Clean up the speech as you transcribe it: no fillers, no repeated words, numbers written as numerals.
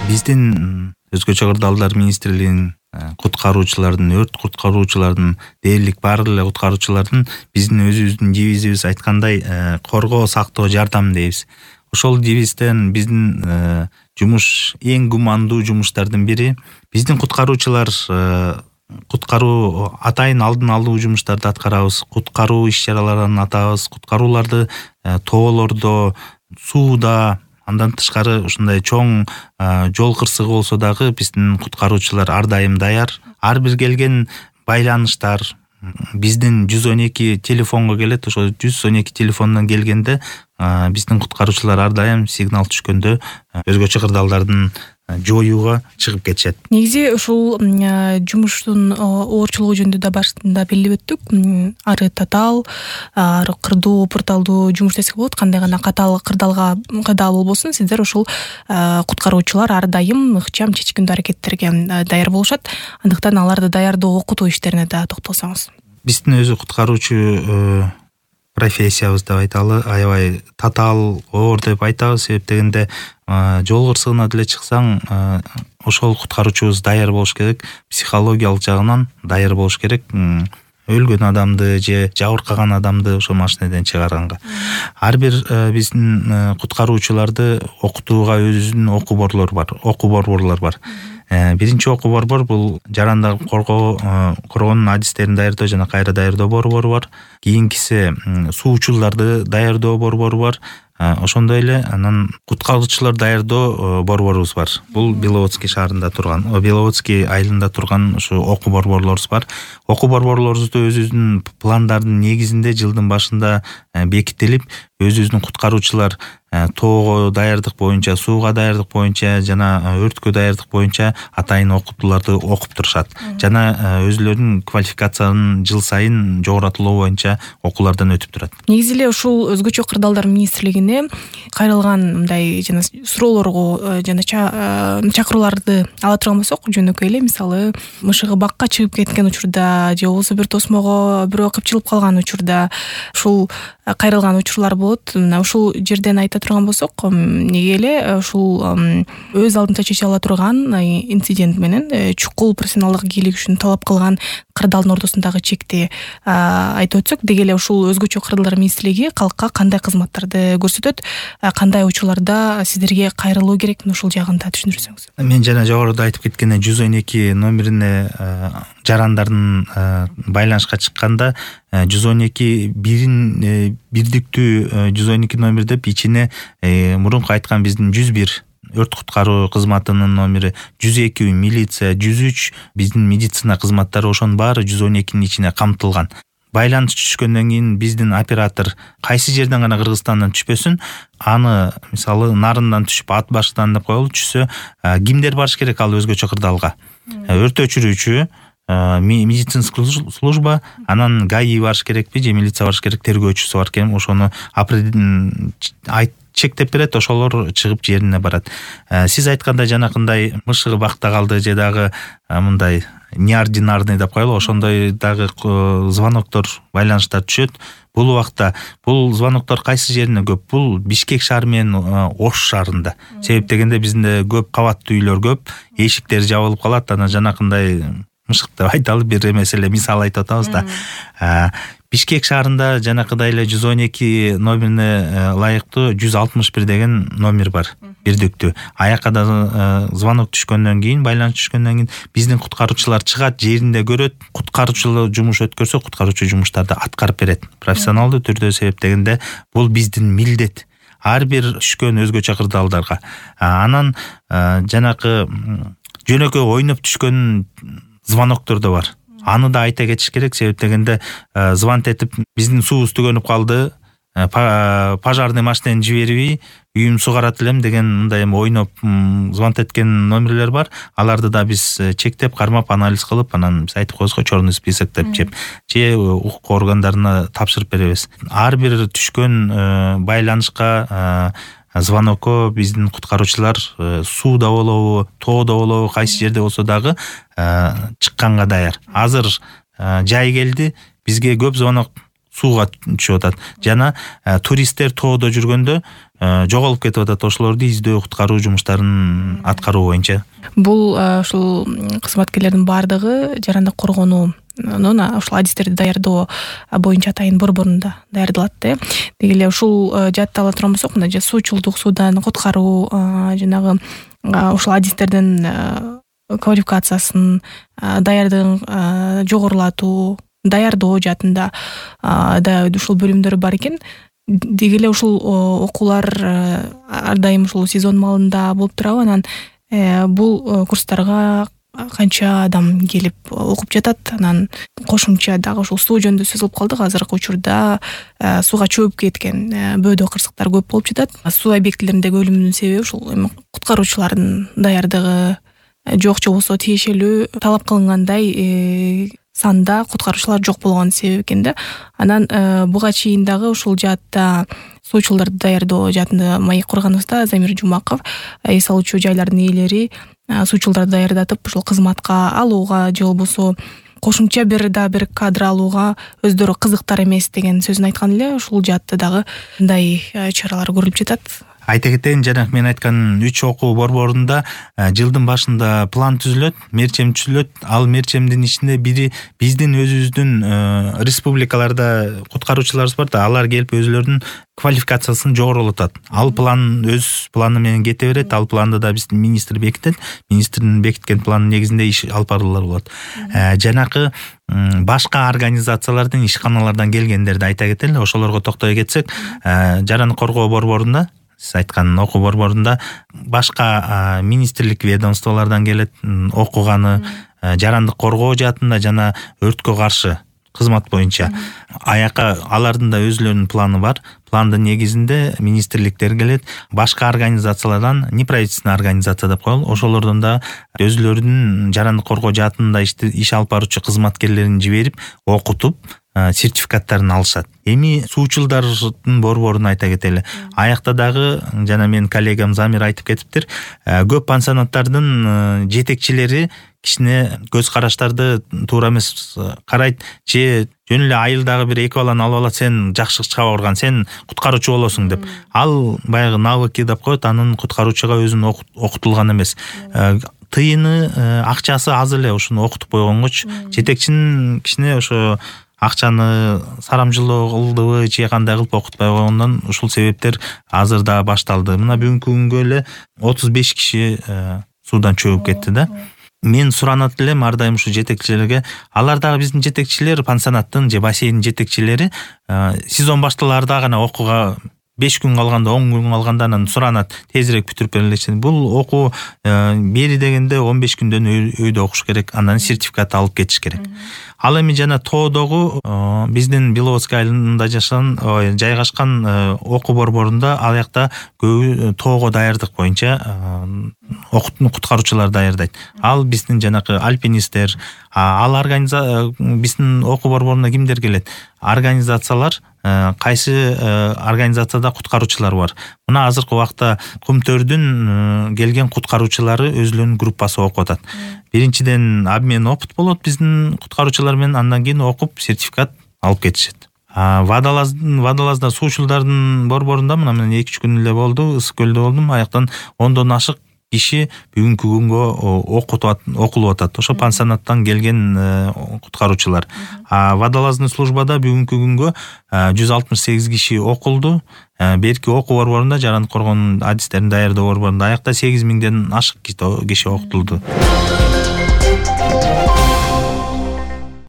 Биздин өзгөчө кырдаалдар министрлигинин куткаруучулардын, өрт куткаруучулардын, дээрлик баардык эле куткаруучулардын биздин өзүбүздүн девизибиз айткандай коргоо, сактоо, жардам дейбиз. Ошол девизден биздин жумуш эң гумандуу жумуштардын бири. Биздин куткаруучулар куткаруу атайын алдын алуу жумуштарды аткарабыз, куткаруу иш-чараларын атабыз, куткарууларды тоолордо, сууда, андан тышкары ушундай чоң жол кырсыгы болсо дагы биздин куткаруучулар ар дайым даяр. Ар бир келген байланыштар биздин 112 телефонго келет. Ошо 112 телефондон келгенде биздин куткаруучулар ар дайым сигнал түшкөндө өзгөчө кырдаалдардын жоюуга чыгып кетишет. Негизи ушул жумуштун оорчулугу жөнүндө да башында белгилеп өттүк. Ары татаал, ары кырдуу, пурталдуу жумуш десек болот. Кандай гана катаал кырдаал болбосун, сиздер ушул куткаруучулар ар дайым ыкчам чечкиндүү аракеттерге даяр болушат. Андыктан аларды даярдоо, окутуу иштерине да токтолсоңуз. Биздин өзү куткаруучу профессиябыз деп айталы, аябай татаал, оор деп айтабыз. Себеп дегенде жол кырсыгына деле чыксаң, ошол куткаруучубуз даяр болуш керек, психологиялык жагынан даяр болуш керек. Өлгөн адамды же жабыркаган адамды ошо машинеден чыгарганга. Ар бир биздин куткаруучуларды окутууга өзүнүн окуу борборлор бар. Биринчи окуу борбор бул жарандарды коргоонун адистерин даярдоо жана кайра даярдоо борбору бар. Кийинкиси суучуларды даярдоо борбору бар. Ошондой эле анан куткаруучулар даярдоо борборубуз бар. Бул Беловодский шаарында турган, Беловодский айылында турган ушу окуу борборлорубуз бар. Окуу борборлорубузду өзүбүздүн пландардын негизинде жылдын башында бекитилип, өзүбүздүн куткаруучулар тоого даярдык боюнча, сууга даярдык боюнча жана өрткө даярдык боюнча атайын окутууларды окуп турушат. Жана өзүлөрүнүн квалификациясын жыл сайын жогоротулоо боюнча окуулардан өтүп турат. Негизи эле ушул өзгөчө кырдаалдар министрлигине кайрылган мындай жана суроолорго жана чакырууларды ала турган болсок, жөнөкөй эле мисалы мышыгы бакка чыгып кеткен учурда же болбосо бир тосмого бирөө кыпчылып калган учурда ушул кайрылган учурлар болот. Мына ушул жерден айта турган болсок, эмнеге эле ушул өз алдынча чече ала турган инцидент менен чукул профессионалдык ийгилик үчүн талап кылган кырдаалдын ортосундагы чекти айтып өтсөк, деги эле ушул өзгөчө кырдаалдар министрлиги калкка кандай кызматтарды көрсөтөт, кандай учурларда сиздерге кайрылуу керек, ушул жагын да түшүндүрсөңүз. Мен жана жогоруда айтып кеткендей 112 номерине жарандардын байланышка чыкканда 112 бирдиктүү 112 номер деп ичине мурунку айткан биздин 101 өрт куткаруу кызматынын номери, 102 милиция, 103 биздин медицина кызматтары, ошонун баары 112нин ичине камтылган. Байланыш түшкөндөн кийин биздин оператор кайсы жерден гана Кыргызстандан түшпөсүн, аны мисалы нарындан түшүп, ат башыдан деп коелу, түшсө кимдер барыш керек ал өзгөчө кырдаалга? Өрт өчүрүүчү, медицинский служба, анан ГАИ барыш керекпи же милиция барыш керек, тергөөчүсү бар экен, ошону чектеп берет, ошолор чыгып жерине барат. Сиз айткандай жанакындай мышыгы бакта калды же дагы мындай неординарный деп коелу, ошондой дагы звоноктор, байланыштар түшөт. Бул убакта бул звоноктор кайсы жерине көп? Бул Бишкек шаары менен Ош шаарында. Себеп дегенде бизде көп кабаттуу үйлөр көп, эшиктер жабылып калат, анан жанакындай мышык деп айталы, бир эмес эле мисал айтып атабыз да. Бишкек шаарында жанакыдай эле 112 номерине ылайыктуу 161 деген номер бар, бирдиктүү. Аякка да звонок түшкөндөн кийин, байланыш түшкөндөн кийин биздин куткаруучулар чыгат, жеринде көрөт, куткаруучу жумуш өткөрсө, куткаруучу жумуштарды аткарып берет. Профессионалдуу түрдө, себеп дегенде бул биздин милдет. Ар бир түшкөн өзгөчө кырдаалдарга. Анан жанакы жөнөкөй ойноп түшкөн звоноктор да бар. Аны да айта кетиш керек, себеп дегенде звонт этип биздин суубуз түгөнүп калды, пожарный машинени жибербей үйүм сугарат элем деген мындай ойноп звонт эткен номерлер бар. Аларды да биз чектеп, кармап, анализ кылып, анан биз айтып коебуз го, черный список деп же укук органдарына тапшырып беребиз. Ар бир түшкөн байланышка, звонокко биздин куткаруучулар сууда болобу, тоодо болобу, кайсы жерде болсо дагы чыкканга даяр. Азыр жай келди, бизге көп звонок сууга түшүп атат жана туристтер тоодо жүргөндө жоголуп кетип атат. Ошолорду издөө, куткаруу жумуштарын аткаруу боюнча. Бул ушул кызматкерлердин баардыгы жарандык коргоонуу ушул адистерди даярдоо боюнча атайын борборунда даярдалат да. Деги эле ушул жаатта ала турган болсок, мына суучулдук, суудан куткаруу, жанагы ушул адистердин квалификациясын, даярдыгын жогорулатуу, даярдоо жаатында да ушул бөлүмдөр бар экен. Деги эле ушул окуулар ар дайым ушул сезон маалында болуп турабы? Анан бул курстарга канча адам келип окуп жатат? Анан кошумча дагы ушул суу жөнүндө сөз кылып калдык. Азыркы учурда сууга чөбүп кеткен бөөдө кырсыктар көп болуп жатат. Суу объектилериндеги өлүмдүн себеби ушул куткаруучулардын даярдыгы жок, же болбосо тиешелүү талап кылынгандай санда куткаруучулар жок болгон себеп экен да. Анан буга чейин дагы ушул жаатта суучулдарды даярдоо жаатында маек курганыбызда Замир Жумаков эс алуучу жайлардын ээлери суучулдарды даярдатып ушул кызматка алууга же болбосо кошумча бир кадр алууга өздөрү кызыктар эмес деген сөзүн айткан эле. Ушул жаатта дагы мындай чаралар көрүлүп жатат. Айта кетейин, жана мен айткан 3 окуу борборунда жылдын башында план түзүлөт, мерчем түзүлөт. Ал мерчемдин ичинде бири биздин өзүбүздүн республикаларда куткаруучуларыбыз бар да, алар келип өзлөрүнүн квалификациясын жогорулатат. Ал план өз планы менен кете берет. Ал планды да биздин министр бекитет. Министрдин бекиткен планын негизинде иш алып баруулар болот. Жанакы башка организациялардын, ишканалардан келгендерди айта кетели. Ошолорго токтой кетсек, жарандык коргоо борборунда, сиз айткан окуу борборунда башка министрлик, ведомстволордон келет окуганы, жарандык коргоо жаатында жана өрткө каршы кызмат боюнча. Аяка алардын да өзлөрүнүн планы бар. Пландын негизинде министрликтер келет, башка организациялардан, неправительственный организация деп коелу, ошолордон да өзлөрүнүн жарандык коргоо жаатында иш алып баруучу кызматкерлерин жиберип, окутуп, сертификаттарын алышат. Эми суучулдардын борборун айта кетели. Аякта дагы жана мен коллегам Замир айтып кетиптир, көп пансионаттардын жетекчилери кичине көз караштарды туура эмес карайт. Же жөн эле айылдагы бир 2 баланы алып алат, сен жакшы чыга барган, сен куткаруучу болосуң деп. Ал баягы навыки деп коет, анын куткаруучуга өзүн окутулган эмес. Тыйыны, акчасы аз эле ушуну окутуп койгонгочу, жетекчинин кичине ошо акчаны сарамжылоо кылдыбы же кандай кылып окутпай койгондон ушул себептер азыр да башталды. Мына бүгүнкү күнгө эле 35 киши суудан чөгүп кетти да. Мен суранат элем ар дайым ушу жетекчилерге, алар дагы биздин жетекчилер, пансионаттын же бассейндин жетекчилери сезон башталаарда гана окууга 5 күн калганда, 10 күн калганда анан суранат, тезирээк бүтүрүп бергилечи. Бул окуу бери дегенде 15 күндөн өйдө окуш керек, андан сертификат алып кетиш керек. Ал эми жана тоодогу биздин Беловодская айылында жайгашкан окуу борборунда ал жакта көбү тоого даярдык боюнча куткаруучулар даярдайт. Ал биздин жанакы альпинисттер, биздин окуу борборуна кимдер келет? Организациялар, кайсы организацияда куткаруучулар бар. Мына азыркы убакта Кумтөрдүн келген куткаруучулары өзлөрүнүн группасы окуп атат. Биринчиден обмен опыт болот биздин куткаруучулар менен, андан кийин окуп сертификат алып кетишет. Водолазда суучулдардын борборунда мына мен 2-3 күн эле болду, Ысык көлдө болдум. Аяктан 10дон ашык киши бүгүнкү күнгө окулуп атат. Ошо пансионаттан келген куткаруучулар. Водолазный службада бүгүнкү күнгө 168 киши окулду. Берки окуу борборунда, жарандык коргоонун адистерин даярдоо борборунда аякта 8000ден ашык киши окутулду.